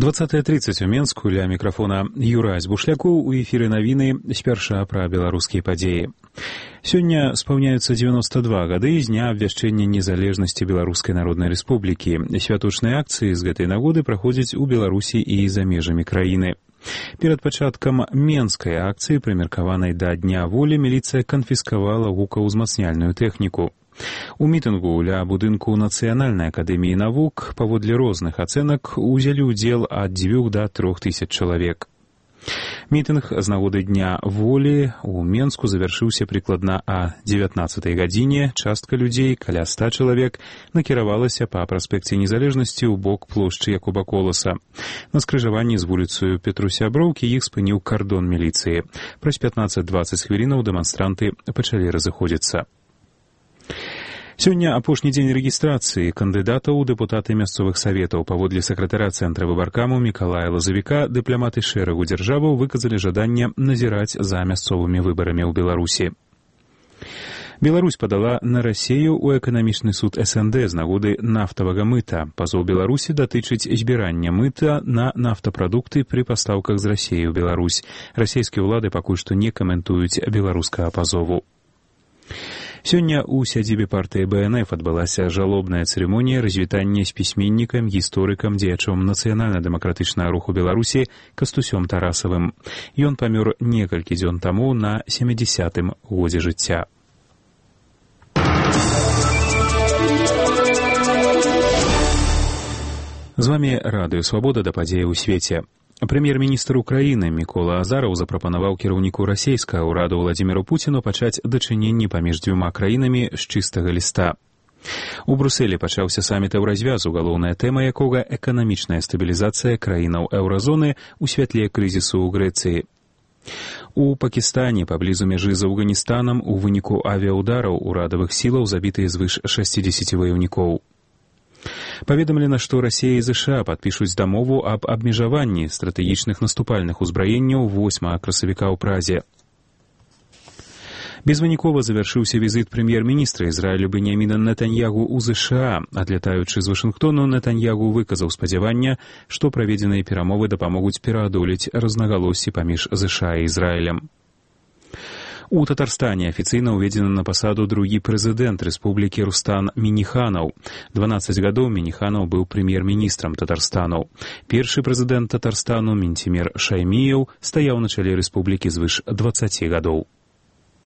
20:30 у Менску, ля мікрафона Юрась Бушлякоў, у эфіры навіны спярша пра беларускія падзеі. Сёння спаўняюцца 92 гады з дня абвяшчэння незалежнасці Беларускай Народнай Рэспублікі. Святочныя акцыі з гэтай нагоды праходзяць у Беларусі і за межамі краіны. Перад пачаткам менскай акцыі, прымеркаванай да Дня волі, міліцыя канфіскавала гукаўзмацняльную тэхніку. У мітынгу ля будынку Нацыянальнай акадэміі навук паводле розных ацэнак узялі ўдзел ад 2 да 3 тысяч чалавек. Мітынг з нагоды Дня волі у Менску завяршыўся прыкладна а 19 гадзіне. Частка людзей, каля 100 чалавек, накіравалася па праспекце Незалежнасці ў бок плошчы Якуба Коласа. На скрыжаванні з вуліцаю Петрусяброўкі іх спыніў кардон міліцыі. Праз 15-20 хвілінаў дэманстранты пачалі разыходзіцца. Сёння апошні дзень рэгістрацыі кандыдатаў у дэпутаты мясцовых саветаў. Паводле сакратара цэнтра выбаркаму Мікалая Лазавіка, дыпламаты шэрагу дзяржаваў выказалі жаданне назіраць за мясцовымі выбарамі ў Беларусі. Беларусь падала на Расею ў эканамічны суд СНД з нагоды нафтавага мыта. Пазоў Беларусі датычыць збірання мыта на нафтапрадукты пры пастаўках з Расеі ў Беларусь. Расейскія ўлады пакуль што не каментуюць беларускага пазову. Сёння ў сядзібе партыі БНФ адбылася жалобная цырымонія развітання з пісьменнікам, гісторыкам, дзеячом нацыянальна-дэмакратычнага руху Беларусі Кастусём Тарасавым. Ён памёр некалькі дзён таму на 70-м годзе жыцця. З вамі Радыё Свабода, да падзеі ў свеце. Прэм'ер-міністр Украіны Мікола Азараў запрапанаваў кіраўніку расейскага ўраду Владзіміру Пуціну пачаць дачыненні паміж дзвюма краінамі з чыстага ліста. У Брусэлі пачаўся саміт еўразвязу, галоўная тэма якога эканамічная стабілізацыя краінаў еўразоны ў святле крызісу ў Грэцыі. У Пакістане паблізу мяжы з Афганістанам у выніку авіаудараў урадавых сілаў забітыя звыш 60 ваяўнікоў. Паведамлена, што Расія і ЗША падпішуць дамову аб абмежаванні стратэгічных наступальных узбраенняў 8 красавіка ў Празе. Безвынікова завяршыўся візіт прэм'ер-міністра Ізраілю Беньяміна Нетаньягу ў ЗША. Адлятаючы з Вашынгтону, Нетаньягу выказаў спадзяванне, што праведзеныя перамовы дапамогуць пераадолець рознагалоссі паміж ЗША і Ізраілем. У Татарстане афіцыйна ўведзены на пасаду другі прэзідэнт рэспублікі Рустам Мінниханаў. 12 гадоў Мінниханаў быў прэм'ер-міністрам Татарстану. Першы прэзідэнт Татарстану Ментимер Шайміяў стаяў на чале рэспублікі звыш 20 гадоў.